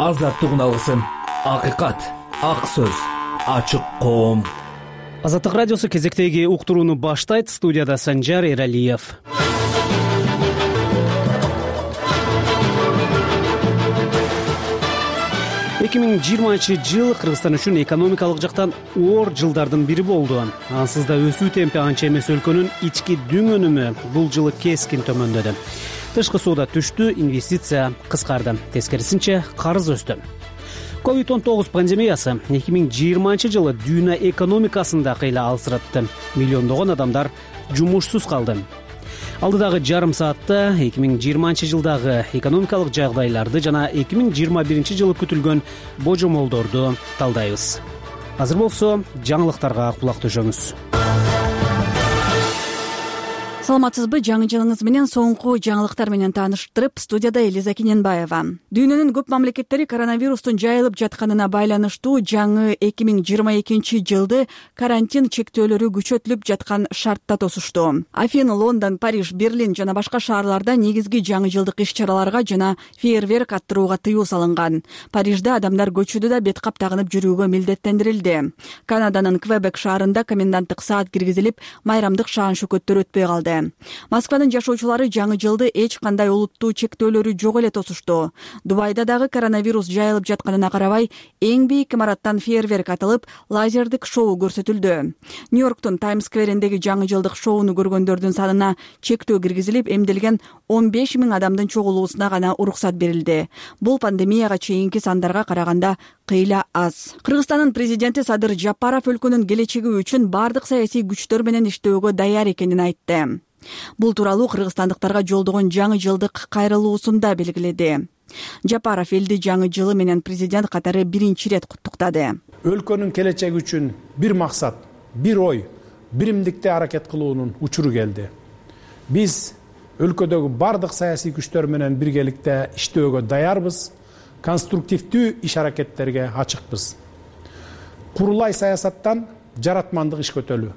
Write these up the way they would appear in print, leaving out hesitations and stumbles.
азаттыгын алгысың. Акыйкат, ак сөз, ачык коом. Азаттык радиосу кезектеги уктурууну баштайт. Студияда Санжар Эралиев. Эки миң жыйырманчы жыл Кыргызстан үчүн экономикалык жактан оор жылдардын бири болду. Ансыз да өсүү темпи анча эмес өлкөнүн ички дүң өнүмү бул жылы кескин төмөндөдү. Тышкы соода түштү, инвестиция кыскарды. Тескерисинче карыз өстү. COVID-19 пандемиясы 2020 жылы дүйнө экономикасында кыйла алсыратты. Миллиондогон адамдар жумушсуз калды. Алдыдагы жарым саатта 2020 жылдагы экономикалык жагдайларды жана 2021 жылы күтүлгөн божомолдорду талдайбыз. Азыр болсо жаңылыктарга кулак төшөңүз. Саламатсызбы? Жаңы жылыңыз менен соңку жаңылыктар менен тааныштырып, студияда Элиза Кененбаева. Дүйнөнүн көп мамлекеттери коронавирустун жайылып жатканына байланыштуу жаңы 2022 жылды карантин чектөөлөрү күчөтүлүп жаткан шартта тосушту. Афин, Лондон, Париж, Берлин жана башка шаарларда негизги жаңы жылдык иш-чараларга жана фейерверк аттырууга тыюу салынган. Парижде адамдар көчөдө да бет кап тагынып жүрүүгө милдеттендирилди. Канаданын Квебек шаарында коменданттык саат киргизилип, майрамдык шаан-шөкөттөр өтпөй калды. Москванын жашоочулары жаңы жылды эч кандай олуттуу чектөөлөрү жок эле тосушту. Дубайда дагы коронавирус жайылып жатканына карабай, эң бийик имараттан фейерверк атылып, лазердик шоу көрсөтүлдү. Нью-Йорктун Таймс сквериндеги жаңы жылдык шоуну көргөндөрдүн санына чектөө киргизилип, эмделген 15 000 адамдын чогулуусуна гана уруксат берилди. Бул пандемияга чейинки сандарга караганда кыйла аз. Кыргызстандын президенти Садыр Жапаров өлкөнүн келечеги үчүн бардык саясий күчтөр менен иштөөгө даяр экенин айтты. Бул тууралуу кыргызстандыктарга жолдогон жаңы жылдык кайрылуусунда белгиледи. Жапаров элди жаңы жылы менен президент катары биринчи ирет куттуктады. Өлкөнүн келечеги үчүн бир максат, бир ой, биримдикте аракет кылуунун учуру келди. Биз өлкөдөгү бардык саясий күчтөр менен биргеликте иштөөгө даярбыз, конструктивдүү иш аракеттерге ачыкпыз. Курулай саясаттан жаратмандык иш көтөлүү.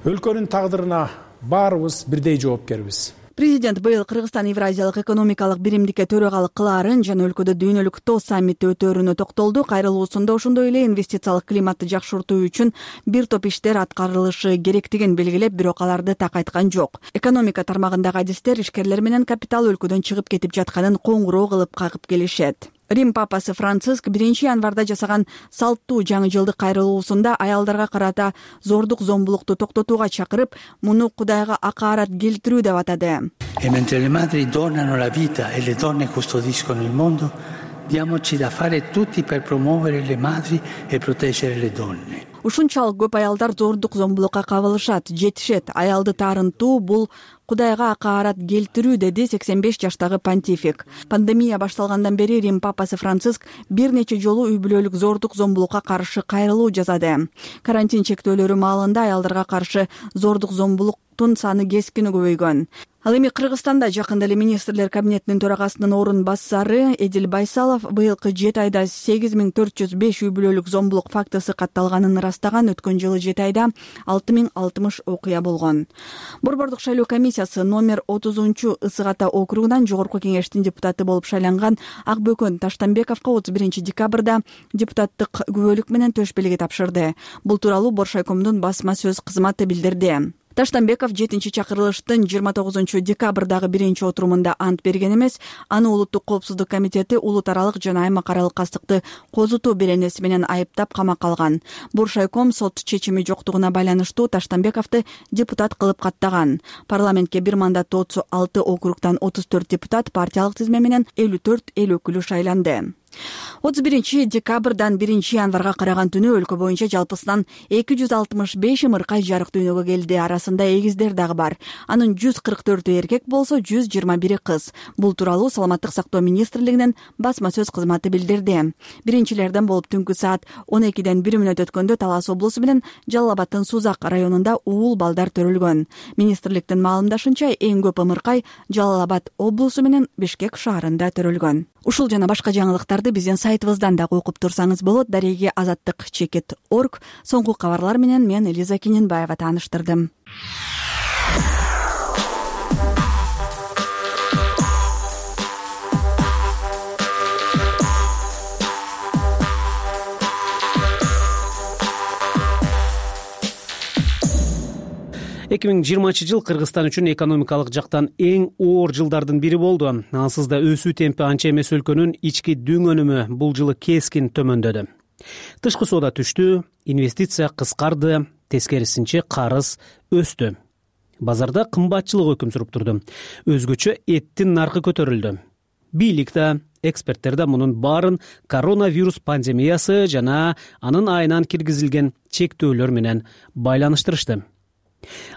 Өлкөнүн тагдырына баарыбыз бирдей жоопкербиз. Президент быйыл Кыргызстан Евразиялык экономикалык биримдикке төрагалык кылаарын жана өлкөдө дүйнөлүк ТО саммити өтөөрүнө токтолду. Кайрылуусунда ошондой эле инвестициялык климатты жакшыртуу үчүн бир топ иштер аткарылышы керектигин белгилеп, бирок аларды так айткан жок. Экономика тармагындагы адистер ишкерлер менен капитал өлкөдөн чыгып кетип жатканын коңгуроо кылып кагып келишет. Рим папасы Франциск 1 январда жасаган салттуу жаңы жылдык кайрылуусунда аялдарга карата зордук зомбулукту токтотууга чакырып, муну Кудайга акаарат келтирүү деп атады. E mentre le madri donano la vita e le donne custodiscono il mondo, diamoci da fare tutti per promuovere le madri e proteggere le donne. Ушунчалык көп аялдар зордук зомбулукка кабылышат, жетишет. Аялды таарынтуу бул Кудайга акаарат келтирүү, деди 85 жаштагы понтифик. Пандемия башталгандан бери Рим папасы Франциск бир нече жолу үй бүлөлүк зордук зомбулукка каршы кайрылуу жасады. Карантин чектөөлөрү маалында аялдарга каршы зордук зомбулуктун саны кескин көбөйгөн. Ал эми Кыргызстанда жакында эле министрлер кабинетинин төрагасынын орун басары Эдил Байсалов быйылкы 7 айда 8405 үй бүлөлүк зомбулук фактысы катталганын ырастаган. Өткөн жылы 7 айда 6060 окуя болгон. Борбордук шайлоо комиссиясы номер 30 Ысык Ата округунан жогорку кеңештин депутаты болуп шайланган Акбөкөн Таштанбековго 31 декабрда депутаттык күбөлүк менен төш белги тапшырды. Бул тууралуу Боршайкомдун басма сөз кызматы билдирди. Таштанбеков 7-чи чакырылыштын 29 декабрдагы 1-чи отурумунда ант берген эмес. Аны Улуттук коопсуздук комитети улут аралык жана аймак аралык кастыкты козутуу беренеси менен айыптап камакка алган. Боршайком сот чечими жоктугуна байланыштуу Таштанбековду депутат кылып каттаган. Парламентке бир мандаттуу 36 округтан 34 депутат партиялык тизме менен 54 эл өкүлү шайланды. 31 декабрдан 1 январга караган түнү өлкө боюнча жалпысынан 265 ымыркай жарык дүйнөгө келди. Арасында эгиздер дагы бар. Анын 144 эркек болсо, 121 кыз. Бул тууралуу Саламаттык сактоо министрлигинин басма сөз кызматы билдирди. Биринчилерден болуп түнкү саат 12ден 1 мүнөт өткөндө Талас облусу менен Жалал Абадтын Сузак районунда уул балдар төрөлгөн. Министрликтин маалымдашынча, эң көп ымыркай Жалал Абад облусу менен Бишкек шаарында төрөлгөн. Ушул жана башка жаңылыктарды биздин сайтыбыздан дагы окуп турсаңыз болот. Дареги azattik.org. Соңку кабарлар менен мен Элиза Кененбаева тааныштырдым. 2020 жыл Кыргызстан үчүн экономикалык жактан эң оор жылдардын бири болду. Ансыз да өсүү темпи анча эмес өлкөнүн ички дүң өнүмү бул жылы кескин төмөндөдү. Тышкы соода түштү, инвестиция кыскарды, тескерисинче карыз өстү. Базарда кымбатчылык өкүм сүрүп турду. Өзгөчө эттин наркы көтөрүлдү. Бийлик да, эксперттер да мунун баарын коронавирус пандемиясы жана анын айынан киргизилген чектөөлөр менен байланыштырышты.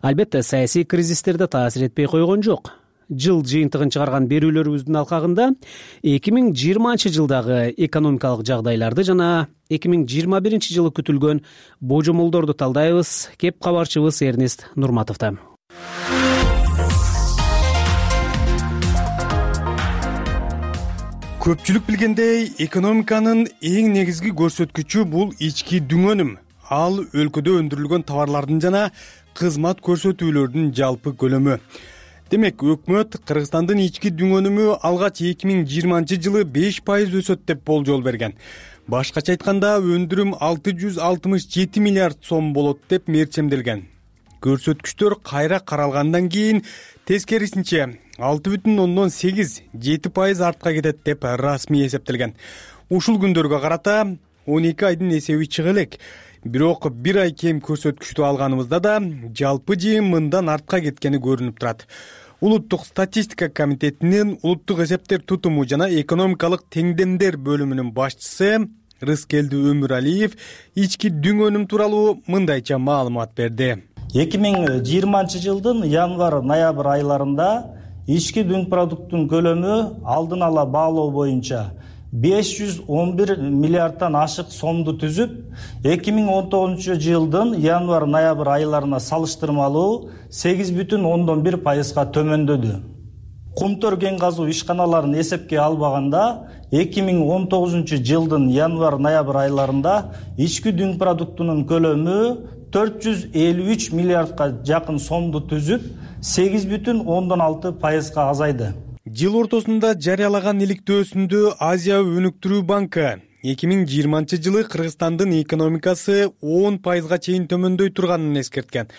Албетте, саясий кризистер да таасир этпей койгон жок. Жыл жыйынтыгын чыгарган берүүлөрүбүздүн алкагында 2020 жылдагы экономикалык жагдайларды жана 2021 жылы күтүлгөн божомолдорду талдайбыз. Кеп кабарчыбыз Эрнест Нурматовдо. Көпчүлүк билгендей, экономиканын эң негизги көрсөткүчү бул ички дүң өнүм. Ал өлкөдө өндүрүлгөн товарлардын жана кызмат көрсөтүүлөрдүн жалпы көлөмү. Демек, өкмөт Кыргызстандын ички дүң өнүмү алгач 2020 жылы 5% өсөт деп болжол берген. Башкача айтканда, өндүрүм 667 миллиард сом болот деп мерчемделген. Көрсөткүчтөр кайра каралгандан кийин тескерисинче 6,8-7% артка кетет деп расмий эсептелген. Ушул күндөргө карата 12 айдын эсеби чыга элек. Бирок бир ай кем көрсөткүчтү алганыбызда да жалпы жыйын мындан артка кеткени көрүнүп турат. Улуттук статистика комитетинин улуттук эсептер тутуму жана экономикалык теңдемдер бөлүмүнүн башчысы Рыскелди Өмүралиев ички дүң өнүм тууралуу мындайча маалымат берди. 2020 жылдын январь-ноябрь айларында ички дүң продукттун көлөмү алдын ала баалоо боюнча 511 миллиардтан ашык сомду түзүп, 2019 жылдын январь-ноябрь айларына салыштырмалуу 8,1%га төмөндөдү. Кумтөр кен казуу ишканаларын эсепке албаганда, 2019 жылдын январь-ноябрь айларында ички дүң продуктунун көлөмү 453 миллиардка жакын сомду түзүп, 8,6%га азайды. Жыл ортосунда жарыялаган иликтөөсүндө Азия өнүктүрүү банкы 2020 жылы Кыргызстандын экономикасы 10%га чейин төмөндөй турганын эскерткен.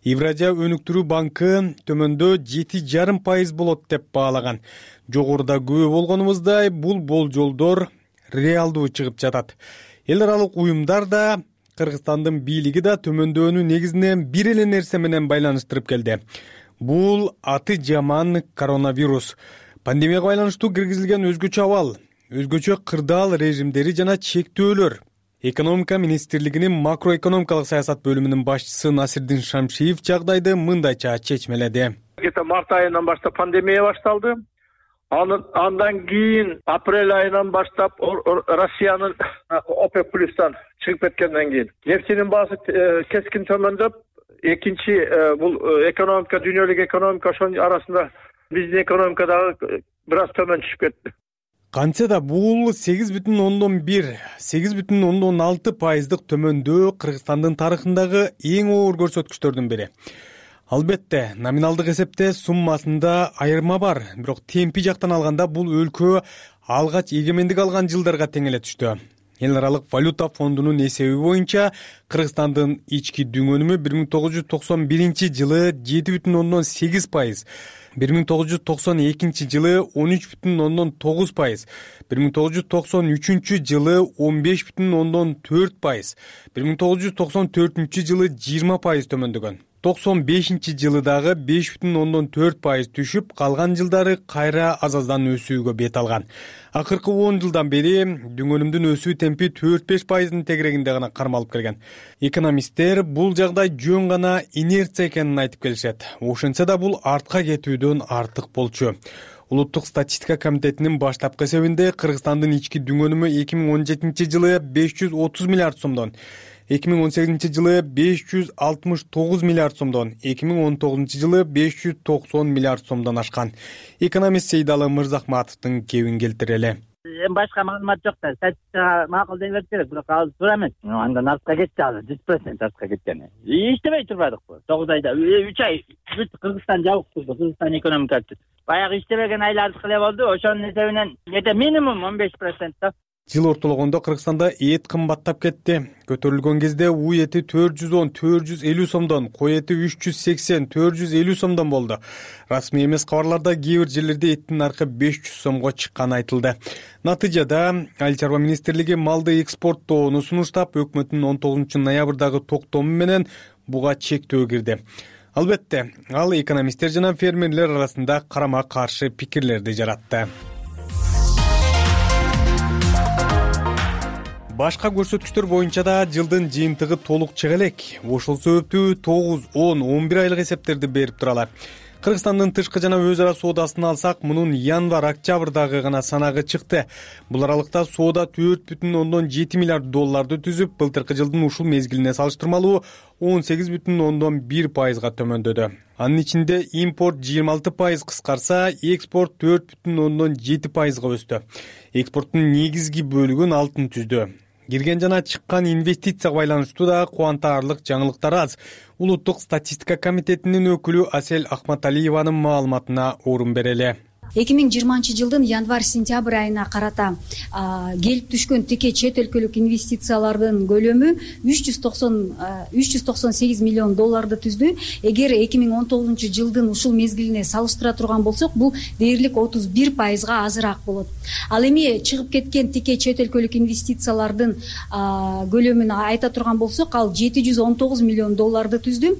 Евразия өнүктүрүү банкы төмөндөө 7,5% болот деп баалаган. Жогоруда күбө болгонубуздай, бул болжолдор реалдуу чыгып жатат. Эл аралык уюмдар да, Кыргызстандын бийлиги да төмөндөөнү негизинен бир эле нерсе менен байланыштырып келди. Бул аты жаман коронавирус. Пандемияга байланыштуу киргизилген өзгөчө абал, өзгөчө кырдаал режимдери жана чектөөлөр. Экономика министрлигинин макроэкономикалык саясат бөлүмүнүн башчысы Насирдин Шамшиев жагдайды мындайча чечмеледи. Март айынан баштап пандемия башталды. Андан кийин апрель айынан баштап Россиянын ОПЕК плюстан чыгып кеткенден кийин нефтинин баасы кескин төмөндөп, экинчи бул экономика, дүйнөлүк экономика ошонун арасында биздин экономика дагы бир аз төмөн түшүп кетти. Кантсе да бул 8,1-8,6% төмөндөө Кыргызстандын тарыхындагы эң оор көрсөткүчтөрдүн бири. Албетте, номиналдык эсепте суммасында айырма бар, бирок темпи жактан алганда бул өлкө алгач эгемендик алган жылдарга тең эле түштү. Эл аралык валюта фондунун эсеби боюнча Кыргызстандын ички дүң өнүмү 1991 жылы 7,8%, 1992 жылы 13,9%, 1993 жылы 15,4%, 1994 жылы 20% төмөндөгөн. 95 жылы дагы 5,4% түшүп, калган жылдары кайра азаздан өсүүгө бет алган. Акыркы 10 жылдан бери дүң өнүмдүн өсүү темпи 4-5%-дын тегерегинде гана кармалып келген. Экономисттер бул жагдай жөн гана инерция экенин айтып келишет. Ошентсе да бул артка кетүүдөн артык болчу. Улуттук статистика комитетинин баштапкы эсебинде Кыргызстандын ички дүң өнүмү 2017 жылы 530 миллиард сомдон, 2018 жылы 569 миллиард сомдон, 2019 жылы 590 миллиард сомдон ашкан. Экономист Сейдалы Мырзахматовдун кебин келтирели. Башка маалымат жок да, статистикага макул дей берсе керек, бирок ал туура эмес. Андан артка кетти, ал 100% артка кеткен. Иштебей турбадыкпы? 9 айда 3 ай Кыргызстан жабык турду, Кыргызстан экономикасы. Баягы иштебеген айлардыкы эле болду, ошонун эсебинен минимум 15% да. Жыл ортологондо Кыргызстанда эт кымбаттап кетти. Көтөрүлгөн кезде у эти 410-450 сомдон, кой эти 380-450 сомдон болду. Расмий эмес кабарларда кээ бир жерлерде эттин наркы 500 сомго чыкканы айтылды. Натыйжада Айыл чарба министрлиги малды экспорттоону сунуштап, өкмөттүн 19 ноябрдагы токтому менен буга чектөө кирди. Албетте, ал экономисттер жана фермерлер арасында карама-каршы пикирлерди жаратты. Башка көрсөткүчтөр боюнча да жылдын жыйынтыгы толук чыга элек. Ошол себептүү 9, 10, 11 айлык эсептерди берип туралар. Кыргызстандын тышкы жана өз ара соодасын алсак, мунун январь-октябрдагы гана санагы чыкты. Бул аралыкта соода 4,7 миллиард долларды түзүп, былтыркы жылдын ушул мезгилине салыштырмалуу 18,1%га төмөндөдү. Анын ичинде импорт 26% кыскарса, экспорт 4,7%га өстү. Экспорттун негизги бөлүгүн алтын түздү. Кирген жана чыккан инвестицияга байланыштуу да кубантарлык жаңылыктар аз. Улуттук статистика комитетинин өкүлү Асел Ахматалиеванын маалыматына орун берели. 2020 жылдын январь-сентябрь айына карата келип түшкөн тике чет өлкөлүк инвестициялардын көлөмү 398 миллион долларды түздү. Эгер 2019 жылдын ушул мезгилине салыштыра турган болсок, бул дээрлик 31%га азыраак болот. Ал эми чыгып кеткен тике чет өлкөлүк инвестициялардын көлөмүн айта турган болсок, ал 719 миллион долларды түздү.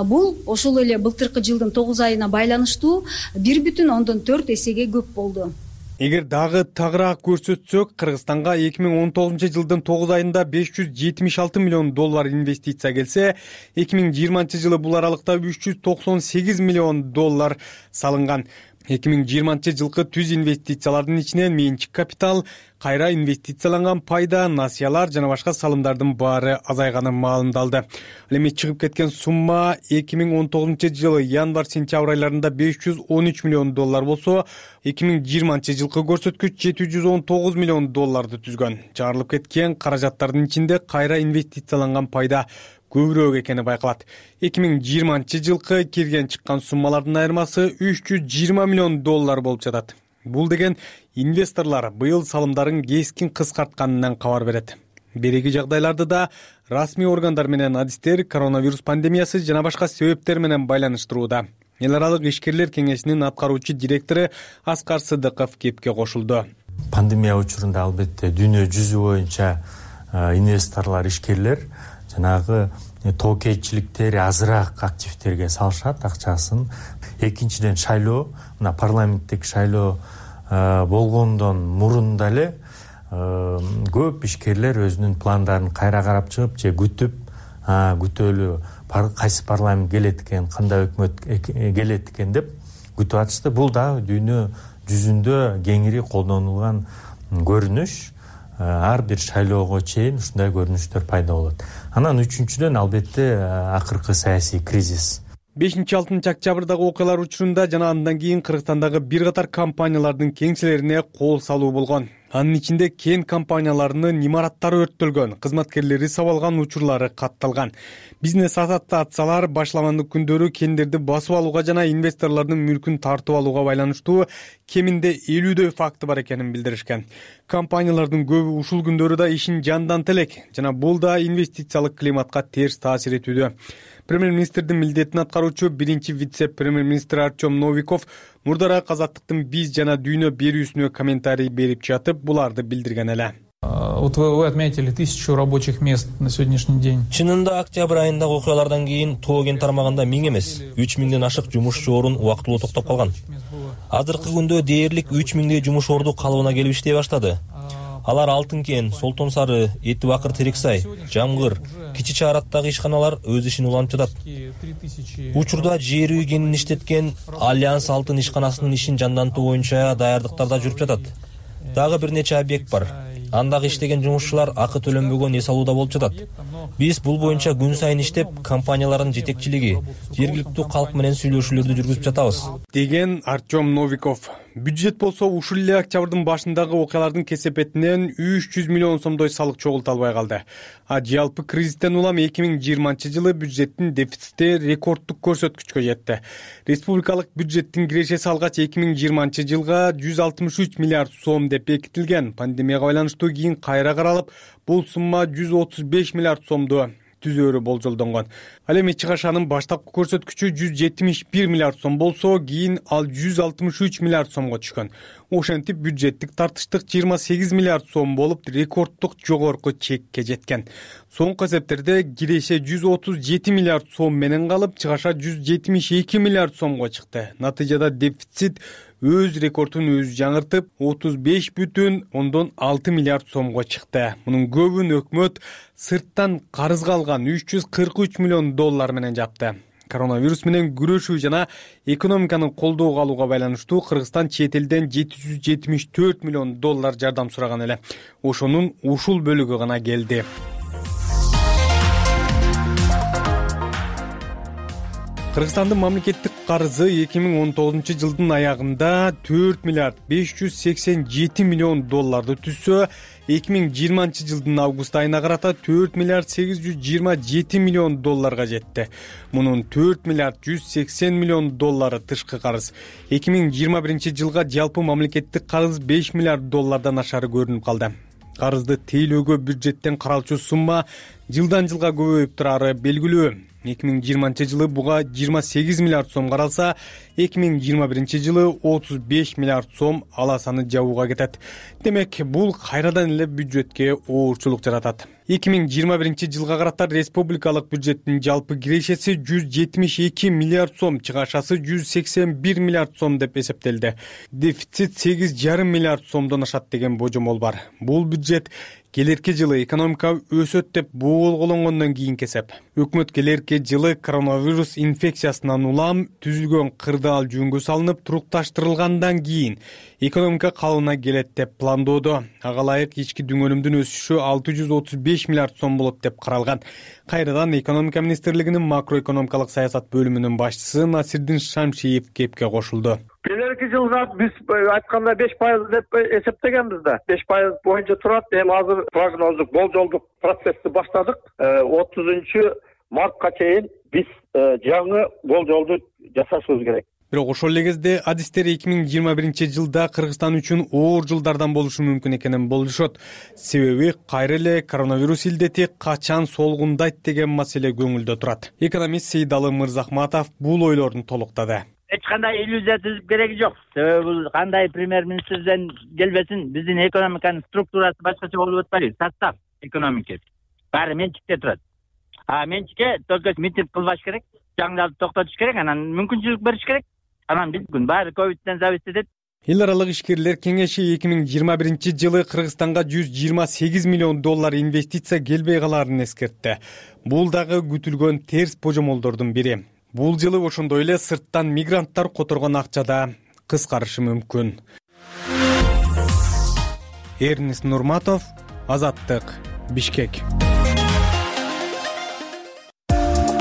Бул ошол эле былтыркы жылдын 9 айына байланыштуу 1,4 эсеге көп болду. Эгер дагы тагыраак көрсөтсөк, Кыргызстанга 2019 жылдын 9 айында 576 миллион доллар инвестиция келсе, 2020 жылы бул аралыкта 398 миллион доллар салынган. 2020 жылкы түз инвестициялардын ичинен менчик капитал, кайра инвестицияланган пайда, насыялар жана башка салымдардын баары азайганы маалымдалды. Ал эми чыгып кеткен сумма 2019 жылы январь-сентябрь айларында 513 миллион доллар болсо, 2020 жылкы көрсөткүч 719 миллион долларды түзгөн. Чыгарылып кеткен каражаттардын ичинде кайра инвестицияланган пайда көбүрөөк экени байкалат. 2020 жылкы кирген чыккан суммалардын айырмасы 320 миллион доллар болуп жатат. Бул деген инвесторлар быйыл салымдарын кескин кыскартканынан кабар берет. Береги жагдайларды да расмий органдар менен адистер коронавирус пандемиясы жана башка себептер менен байланыштырууда. Эл аралык ишкерлер кеңешинин аткаруучу директору Аскар Сыдыков кепке кошулду. Пандемия учурунда албетте дүйнө жүзү боюнча инвесторлор, ишкерлер жанагы тоокейчиликтери азыраак активтерге салышат акчасын. Экинчиден шайлоо, мына парламенттик шайлоо болгондон мурун деле көп ишкерлер өзүнүн пландарын кайра карап чыгып же күтөлү кайсы парламент келет экен, кандай өкмөт келет экен деп күтүп атышты. Бул да дүйнө жүзүндө кеңири колдонулган көрүнүш. Ар бир шайлоого чейин ушундай көрүнүштөр пайда болот. Анан үчүнчүдөн албетте акыркы саясий кризис. 5-6 октябрдагы окуялар учурунда жана андан кийин Кыргызстандагы бир катар компаниялардын кеңселерине кол салуу болгон. Анын ичинде кен компанияларынын имараттары өрттөлгөн, кызматкерлери сабалган учурлары катталган. Бизнес ассоциациялар башламандык күндөрү кендерди басып алууга жана инвесторлордун мүлкүн тартып алууга байланыштуу кеминде 50 факты бар экенин билдиришкен. Компаниялардын көбү ушул күндөрү да ишин жандантып элек жана бул да инвестициялык климатка терс таасир этүүдө. Премьер-министрдин милдетин аткаруучу биринчи вице-премьер-министр Артем Новиков мурдараак Азаттыктын биз жана дүйнө берүүсүнө комментарий берип жатып, буларды билдирген эле. Вот вы отметили 1000 рабочих мест на сегодняшний день. Чынында октябрь айындагы окуялардан кийин тоо кен тармагында 1000 эмес, 3000ден ашык жумушчу орун убактылуу токтоп калган. Азыркы күндө дээрлик 3000дей жумуш орду калыбына келип иштей баштады. Алар Алтын кен, Солтон Сары, Эти Бакыр, Терексай, Жамгыр, Кичи Чаараттагы ишканалар өз ишин улантып жатат. Учурда жер үй кенин иштеткен Альянс Алтын ишканасынын ишин жандантуу боюнча даярдыктарда жүрүп жатат. Дагы бир нече объект бар. Андагы иштеген жумушчулар акы төлөнбөгөн эс алууда болуп жатат. Биз бул боюнча күн сайын иштеп, компаниялардын жетекчилиги, жергиликтүү калк менен сүйлөшүүлөрдү жүргүзүп жатабыз, деген Артем Новиков. Бюджет болсо ушул эле октябрдын башындагы окуялардын кесепетинен 300 миллион сомдой салык чогулта албай калды. А жалпы кризистен улам 2020-жылы бюджеттин дефицити рекорддук көрсөткүчкө жетти. Республикалык бюджеттин кирешеси алгач 2020-жылга 163 миллиард сом деп бекитилген. Пандемияга байланыштуу кийин кайра каралып, бул сумма 135 миллиард сомду түзөөрү болжолдонгон. Ал эми чыгашанын баштапкы көрсөткүчү 171 миллиард сом болсо, кийин ал 163 миллиард сомго түшкөн. Ошентип бюджеттик тартыштык 28 миллиард сом болуп, рекорддук жогорку чекке жеткен. Соңку эсептерде киреше 137 миллиард сом менен калып, чыгаша 172 миллиард сомго чыкты. Натыйжада дефицит өз рекордун өзү жаңыртып, 35,6 миллиард сомго чыкты. Мунун көбүн өкмөт сырттан карызга алган 343 миллион доллар менен жапты. Коронавирус менен күрөшүү жана экономиканы колдоого алууга байланыштуу Кыргызстан чет элден 774 миллион доллар жардам сураган эле. Ошонун ушул бөлүгү гана келди. Кыргызстандын мамлекеттик карызы 2019-жылдын аягында 4 миллиард 587 миллион долларды түзсө, 2020-жылдын август айына карата 4 миллиард 827 миллион долларга жетти. Мунун 4 миллиард 180 миллион доллары тышкы карыз. 2021-жылга жалпы мамлекеттик карыз 5 миллиард доллардан ашары көрүнүп калды. Карызды тейлөөгө бюджеттен каралчу сумма жылдан жылга көбөйүп турары белгилүү. 2020-жылы буга 28 миллиард сом каралса, 2021-жылы 35 миллиард сом аласаны жабууга кетет. Демек, бул кайрадан эле бюджетке оорчулук жаратат. 2021-жылга карата республикалык бюджеттин жалпы кирешеси 172 миллиард сом, чыгашасы 181 миллиард сом деп эсептелди. Дефицит 8,5 миллиард сомдон ашат деген божомол бар. Бул бюджет келерки жылы экономика өсөт деп болгонгондон кийинки эсеп. Өкмөт келерки жылы коронавирус инфекциясынан улам түзүлгөн кырдаал жөнгө салынып, турукташтырылгандан кийин экономика калыбына келет деп пландоодо. Ага ылайык ички дүң өнүмдүн өсүшү 635 миллиард сом болот деп каралган. Кайрадан экономика министрлигинин макроэкономикалык саясат бөлүмүнүн башчысы Насирдин Шамшиев кепке кошулду. Келерки жылга биз айтканда 5% деп эсептегенбиз да. 5% боюнча турат. Эми азыр прогноздук, болжолдук процессти баштадык. 30-мартка чейин биз жаңы болжолду жасашыбыз керек. Бирок ошол эле кезде адистер 2021-жылда Кыргызстан үчүн оор жылдардан болушу мүмкүн экенин болжошот. Себеби кайра эле коронавирус илдети качан солгундайт деген маселе көңүлдө турат. Экономист Сейдалы Мырзахматов бул ойлорун толуктады. Эч кандай иллюзия түзүп кереги жок. Себеби бул кандай премьер-министрден келбесин, биздин экономиканын структурасы башкача болуп атпайбы. Состав экономикасы баары менчикте турат. А менчикке только митинг кылбаш керек, жаңдарды токтотуш керек, анан мүмкүнчүлүк бериш керек. Анан биздин баары ковидтен зависит этет. Эл аралык ишкерлер кеңеши 2021-жылы Кыргызстанга 128 миллион доллар инвестиция келбей калаарын эскертти. Бул дагы күтүлгөн терс божомолдордун бири. Бул жылы ошондой эле сырттан мигранттар которгон акча да кыскарышы мүмкүн. Эрнест Нурматов, Азаттык, Бишкек.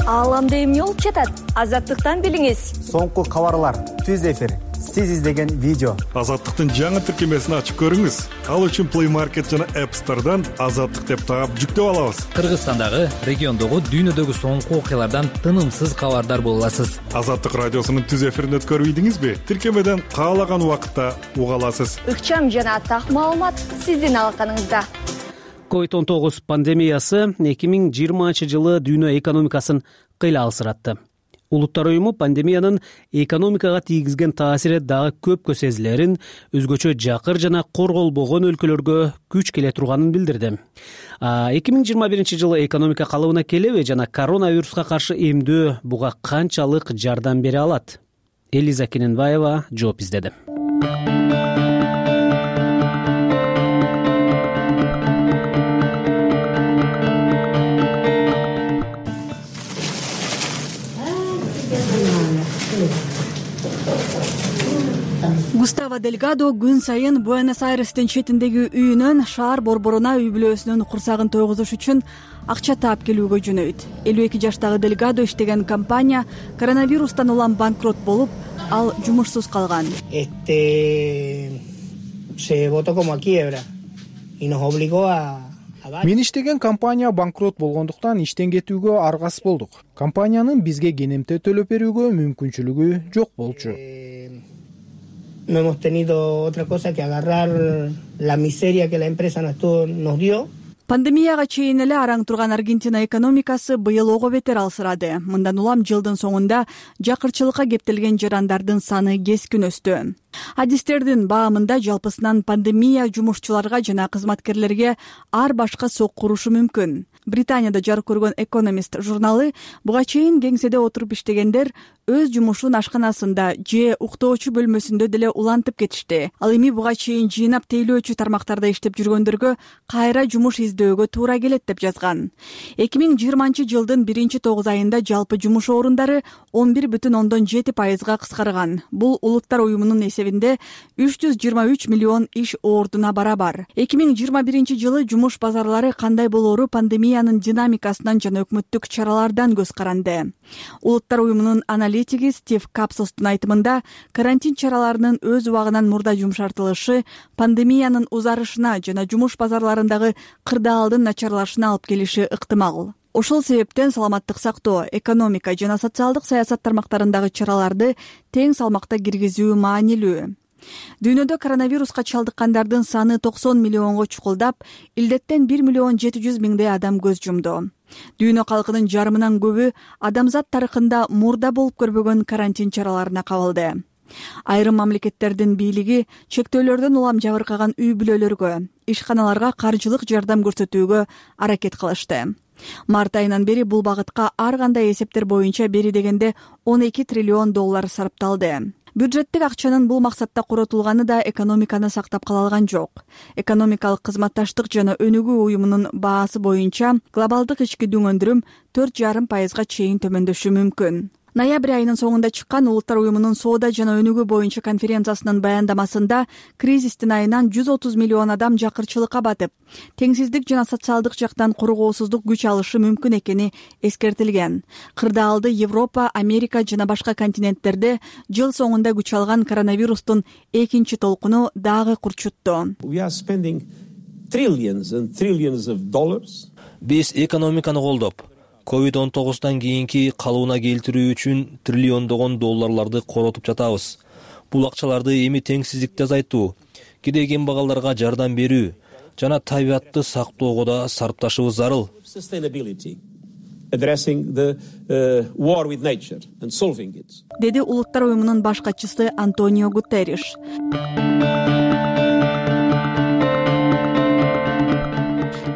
Ааламда эмне болуп жатат? Азаттыктан билиңиз. Соңку кабарлар, түз эфир, сиз издеген видео. Азаттыктын жаңы тиркемесин ачып көрүңүз. Ал үчүн Play Market жана App Store'дан Азаттык деп таап жүктөп алабыз. Кыргызстандагы, региондогу, дүйнөдөгү соңку окуялардан тынымсыз кабардар боло аласыз. Азаттык радиосунун түз эфирин өткөрүп ийдиңизби? Тиркемеден каалаган убакытта уга аласыз. Ыкчам жана так маалымат сиздин алаканыңызда. COVID-19 пандемиясы 2020-жылы дүйнө экономикасын кыйла алсыратты. Улуттар уюму пандемиянын экономикага тийгизген таасири дагы көпкө сезилерин, өзгөчө жакыр жана корголбогон өлкөлөргө күч келе турганын билдирди. 2021-жылы экономика калыбына келеби жана коронавируска каршы эмдөө буга канчалык жардам бере алат? Элиза Кененбаева жооп издеди. Густаво Дельгадо күн сайын Буэнос-Айрестин четиндеги үйүнөн шаар борборуна үй бүлөсүнүн курсагын тойгузуш үчүн акча таап келүүгө жөнөйт. 52 жаштагы Дельгадо иштеген компания коронавирустан улам банкрот болуп, ал жумушсуз калган. Мен иштеген компания банкрот болгондуктан иштен кетүүгө аргасыз болдук. Компаниянын бизге кенемте төлөп берүүгө мүмкүнчүлүгү жок болчу. No hemos tenido otra cosa que agarrar la miseria que la empresa nos dio. Пандемияга чейин эле араң турган Аргентина экономикасы быйыл ого бетер алсырады. Мындан улам жылдын соңунда жакырчылыкка кептелген жарандардын саны кескин өстү. Адистердин баамында жалпысынан пандемия жумушчуларга жана кызматкерлерге ар башка сокку урушу мүмкүн. Британияда жарык көргөн Economist журналы буга чейин кеңседе отуруп иштегендер өз жумушун ашканасында же уктоочу бөлмөсүндө деле улантып кетишти. Ал эми буга чейин жыйнап тейлөөчү тармактарда иштеп жүргөндөргө кайра жумуш издөөгө туура келет деп жазган. 2020 жылдын 1-9 айында жалпы жумуш орундары 11,7%га кыскарган. Бул улуттар уюмунун эсебинде 323 миллион иш ордуна барабар. 2021 жылы жумуш базарлары кандай болоору пандемиянын динамикасынан жана өкмөттүк чаралардан көз каранды. Улуттар уюмунун аналитиги Стив Капсостун айтымында, карантин чараларынын өз убагынан мурда жумшартылышы пандемиянын узарышына жана жумуш базарларындагы кырдаалдын начарлашына алып келиши ыктымал. Ошол себептен саламаттык сактоо, экономика жана социалдык саясат тармактарындагы чараларды тең салмакта киргизүү маанилүү. Дүйнөдө коронавируска чалдыккандардын саны 90 миллионго чукулдап, илдеттен 1,7 миллион адам көз жумду. Дүйнө калкынын жарымынан көбү адамзат тарыхында мурда болуп көрбөгөн карантин чараларына кабылды. Айрым мамлекеттердин бийлиги чектөөлөрдөн улам жабыркаган үй бүлөлөргө, ишканаларга каржылык жардам көрсөтүүгө аракет кылышты. Март айынан бери бул багытка ар кандай эсептер боюнча бери дегенде $12 триллион сарпталды. Бюджеттик акчанын бул максатта коротулганы да экономиканы сактап кала алган жок. Экономикалык кызматташтык жана өнүгүү уюмунун баасы боюнча глобалдык ички дүң өндүрүм 4,5%га чейин төмөндөшү мүмкүн. Ноябрь айынын соңунда чыккан Улуттар уюмунун соода жана өнүгүү боюнча конференциясынын баяндамасында кризистин айынан 130 миллион адам жакырчылыкка батып, теңсиздик жана социалдык жактан коргоосуздук күч алышы мүмкүн экени эскертилген. Кырдаалды Европа, Америка жана башка континенттерде жыл соңунда күч алган коронавирустун экинчи толкуну дагы курчутту. Биз экономиканы колдоп, COVID-19 кийинки калыбына келтирүү үчүн триллиондогон долларларды коротуп жатабыз. Бул акчаларды эми теңсиздикти азайтуу, кедей кембагалдарга жардам берүү жана табиатты сактоого да сарпташыбыз зарыл. Деди Улуттар уюмунун баш катчысы Антонио Гутерриш.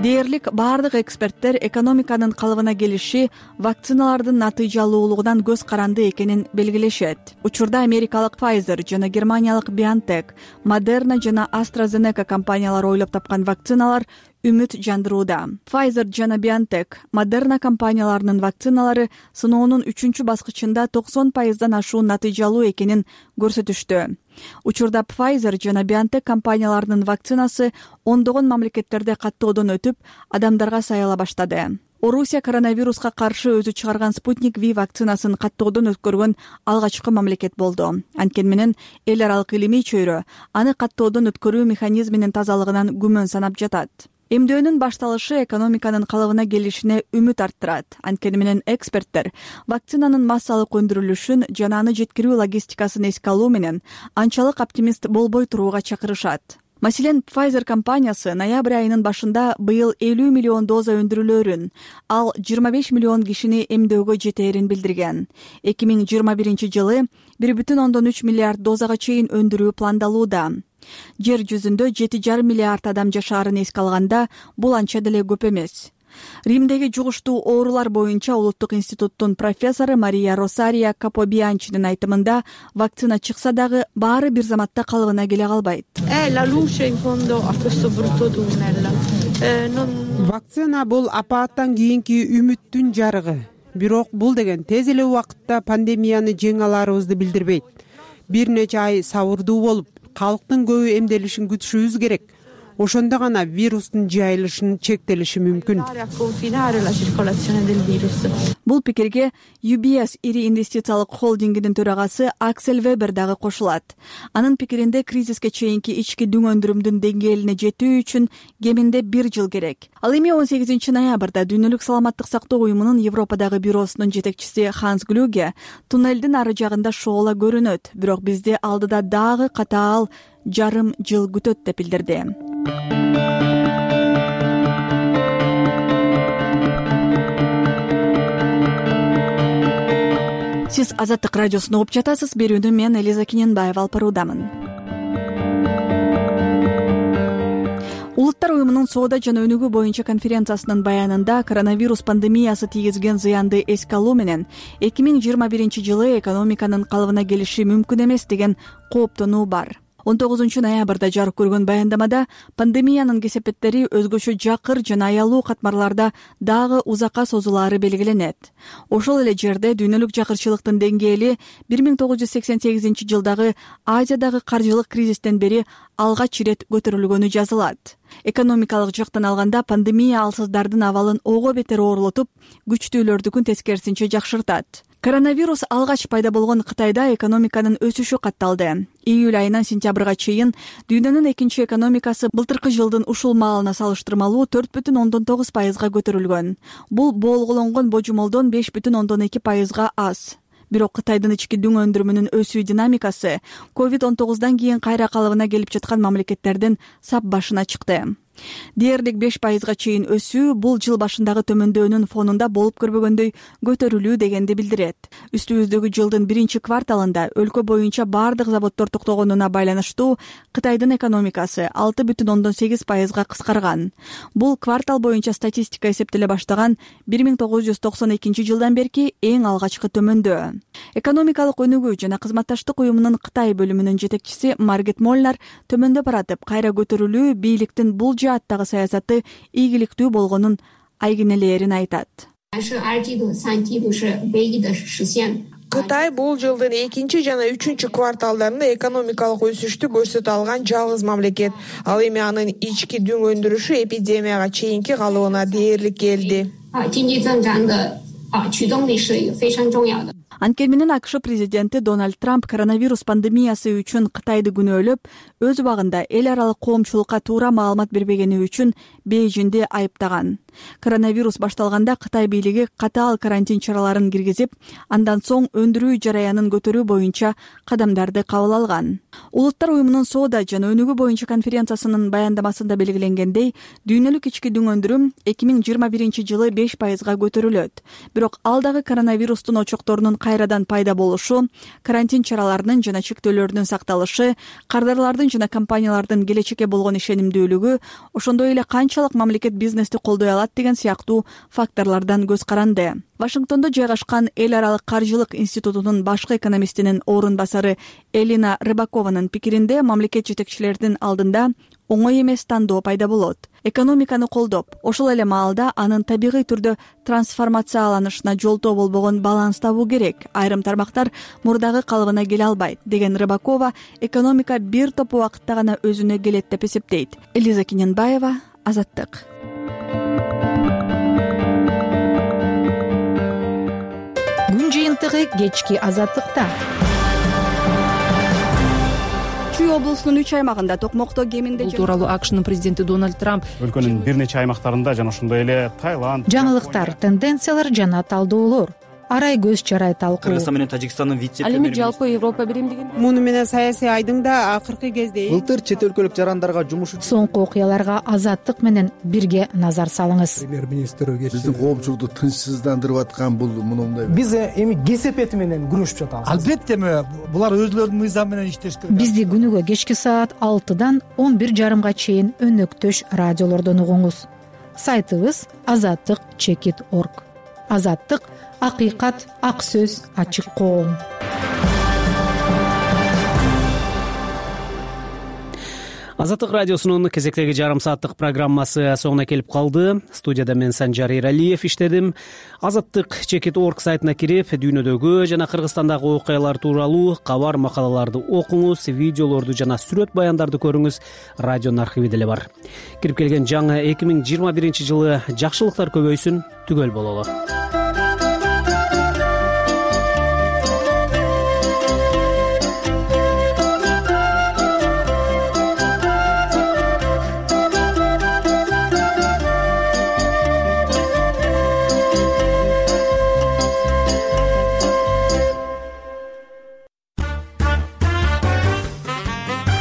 Дээрлик бардык эксперттер экономиканын калыбына келиши вакциналардын натыйжалуулугунан көз каранды экенин белгилешет. Учурда америкалык Pfizer жана германиялык BioNTech, Moderna жана AstraZeneca компаниялары ойлоп тапкан вакциналар үмүт жандырууда. Pfizer жана BioNTech, Moderna компанияларынын вакциналары сыноонун 3-чү баскычында 90%дан ашуу натыйжалуу экенин көрсөтүштү. Учурда Pfizer жана BioNTech компанияларынын вакцинасы ондогон мамлекеттерде каттоодон өтүп, адамдарга саяла баштады. Орусия коронавируска каршы өзү чыгарган Спутник V вакцинасын каттоодон өткөргөн алгачкы мамлекет болду. Анткени менен эл аралык илимий чөйрө аны каттоодон өткөрүү механизминин тазалыгынан күмөн санап жатат. Эмдөөнүн башталышы экономиканын калыбына келишине үмүт арттырат. Анткени менен эксперттер вакцинанын массалык өндүрүлүшүн жана аны жеткирүү логистикасын эске алуу менен анчалык оптимист болбой турууга чакырышат. Маселен, Pfizer компаниясы ноябрь айынын башында быйыл 50 миллион доза өндүрүлөөрүн, ал 25 миллион кишини эмдөөгө жетээрин билдирген. 2021 жылы 1,3 миллиард дозага чейин өндүрүү пландалууда. Жер жүзүндө 7,5 миллиард адам жашаарын эске алганда, бул анча деле көп эмес. Римдеги жугуштуу оорулар боюнча улуттук институттун профессору Мария Росария Капобианчинин айтымында, вакцина чыкса дагы баары бир заматта калыбына келе калбайт. Вакцина бул апааттан кийинки үмүттүн жарыгы. Бирок бул деген тез эле убакытта пандемияны жеңе аларыбызды билдирбейт. бир нече ай сабырдуу болуп калктын көбү эмделишин күтүшүбүз керек. Ошондо гана вирустун жайылышын чектелиши мүмкүн. Бул пикирге UBS ири инвестициялык холдингинин төрагасы Аксель Вебер дагы кошулат. Анын пикиринде кризиске чейинки ички дүң өндүрүмдүн деңгээлине жетүү үчүн кеминде 1 жыл керек. Ал эми 18 ноябрда Дүйнөлүк саламаттык сактоо уюмунун Европадагы бюросунун жетекчиси Ханс Глюге туннелдин ары жагында шоола көрүнөт, бирок бизди алдыда дагы катаал жарым жыл күтөт деп билдирди. Сиз Азаттык радиосун угуп жатасыз. Берүүнү мен Элиза Кененбаева алып баруудамын. Улуттар уюмунун соода жана өнүгүү боюнча конференциясынын баянында коронавирус пандемиясы тийгизген зыянды эске алуу менен 2021-жылы экономиканын калыбына келиши мүмкүн эмес деген кооптонуу бар. 19 ноябрда жарык көргөн баяндамада пандемиянын кесепеттери өзгөчө жакыр жана аялуу катмарларда дагы узакка созулаары белгиленет. Ошол эле жерде дүйнөлүк жакырчылыктын деңгээли 1988-жылдагы Азиядагы каржылык кризистен бери алгач ирет көтөрүлгөнү жазылат. Экономикалык жактан алганда пандемия алсыздардын абалын ого бетер оорлотуп, күчтүүлөрдүкүн тескерисинче жакшыртат. Коронавирус алгач пайда болгон Кытайда экономиканын өсүшү катталды. Июль айынан сентябрга чейин дүйнөнүн экинчи экономикасы былтыркы жылдын ушул маалына салыштырмалуу 4,9%га көтөрүлгөн. Бул болгологонгон божомолдон 5,2%га аз. Бирок Кытайдын ички дүң өндүрүмүнүн өсүү динамикасы COVID-19 кийин кайра калыбына келип жаткан мамлекеттердин сап башына чыкты. Дээрлик 5%га чейин өсүү бул жыл башындагы төмөндөөнүн фонунда болуп көрбөгөндөй көтөрүлүү дегенди билдирет. Үстүбүздөгү жылдын 1-кварталында өлкө боюнча бардык заводдор токтогонуна байланыштуу Кытайдын экономикасы 6,8%га кыскарган. Бул квартал боюнча статистика эсептеле баштаган 1992-жылдан берки эң алгачкы төмөндөө. Экономикалык өнүгүү жана кызматташтык уюмунун Кытай бөлүмүнүн жетекчиси Маргет Молнар төмөндөп баратып, кайра көтөрүлүү бийликтин бул жааттагы саясаты ийгиликтүү болгонун айгинелерин айтат. Кытай бул жылдын 2 жана 3 кварталдарында экономикалык өсүштү көрсөтө алган жалгыз мамлекет. Ал эми анын ички дүң өндүрүшү эпидемияга чейинки калыбына дээрлик келди. Анткени менен АКШ президенти Дональд Трамп коронавирус пандемиясы үчүн Кытайды күнөөлөп, өз убагында эл аралык коомчулукка туура маалымат бербегени үчүн Бейжиңди айыптаган. Коронавирус башталганда Кытай бийлиги катаал карантин чараларын киргизип, андан соң өндүрүү жараянын көтөрүү боюнча кадамдарды кабыл алган. Улуттар уюмунун соода жана өнүгүү боюнча конференциясынын баяндамасында белгиленгендей, дүйнөлүк ички дүң өндүрүм 2021-жылы 5%га көтөрүлөт. Бирок ал дагы коронавирустун очокторунун кайрадан пайда болушу, карантин чараларынын жана чектөөлөрдүн сакталышы, кардарлардын жана компаниялардын келечекке болгон ишенимдүүлүгү, ошондой эле канчалык мамлекет бизнести колдой алат деген сыяктуу факторлордон көз каранды. Вашингтондо жайгашкан Эл аралык каржылык институтунун башкы экономистинин орун басары Элина Рыбакованын пикиринде, мамлекет жетекчилеринин алдында оңой эмес тандоо пайда болот. Экономиканы колдоп, ошол эле маалда анын табигый түрдө трансформацияланышына жолтоо болбогон баланс табуу керек. Айрым тармактар мурдагы калыбына келе албайт деген Рыбакова, экономика бир топ убакытта гана өзүнө келет деп эсептейт. Элиза Кененбаева, Азаттык. Күн жыйынтыгы кечки Азаттыкта. Чүй облусунун 3 аймагында токмокто кеминде Бул тууралуу АКШнын президенти Дональд Трамп өлкөнүн бир нече аймактарында жана ошондой эле Таиланд, жаңылыктар, тенденциялар жана талдоолор, арай көз чарай талкуу. Кыргызстан менен Тажикстандын вице-премьери. Ал эми жалпы Европа биримдигин. Муну менен саясий айдыңда акыркы кезде былтыр чет өлкөлүк жарандарга жумуш соңку окуяларга Азаттык менен бирге назар салыңыз. Премьер-министр биздин коомчулукту тынчсыздандырып аткан бул мындай. Биз эми кесепети менен күрөшүп жатабыз. Албетте булар өзлөрүнүн мыйзамы менен иштеш керек. Бизди күнүгө кечки саат 6-дан 11:30 чейин өнөктөш радиолордон угуңуз. Сайтыбыз azattik.org. Азаттык — акыйкат, ак сөз, ачык коом. Азаттык радиосунун кезектеги жарым сааттык программасы соңуна келип калды. Студияда мен Санжар Эралиев иштедим. Азаттык Чекит.org сайтына кирип, дүйнөдөгү жана Кыргызстандагы окуялар тууралуу кабар макалаларды окуңуз, видеолорду жана сүрөт баяндарды көрүңүз. Радионун архиви деле бар. Кирип келген жаңы 2021 жылы жакшылыктар көбөйсүн, түгөл бололу.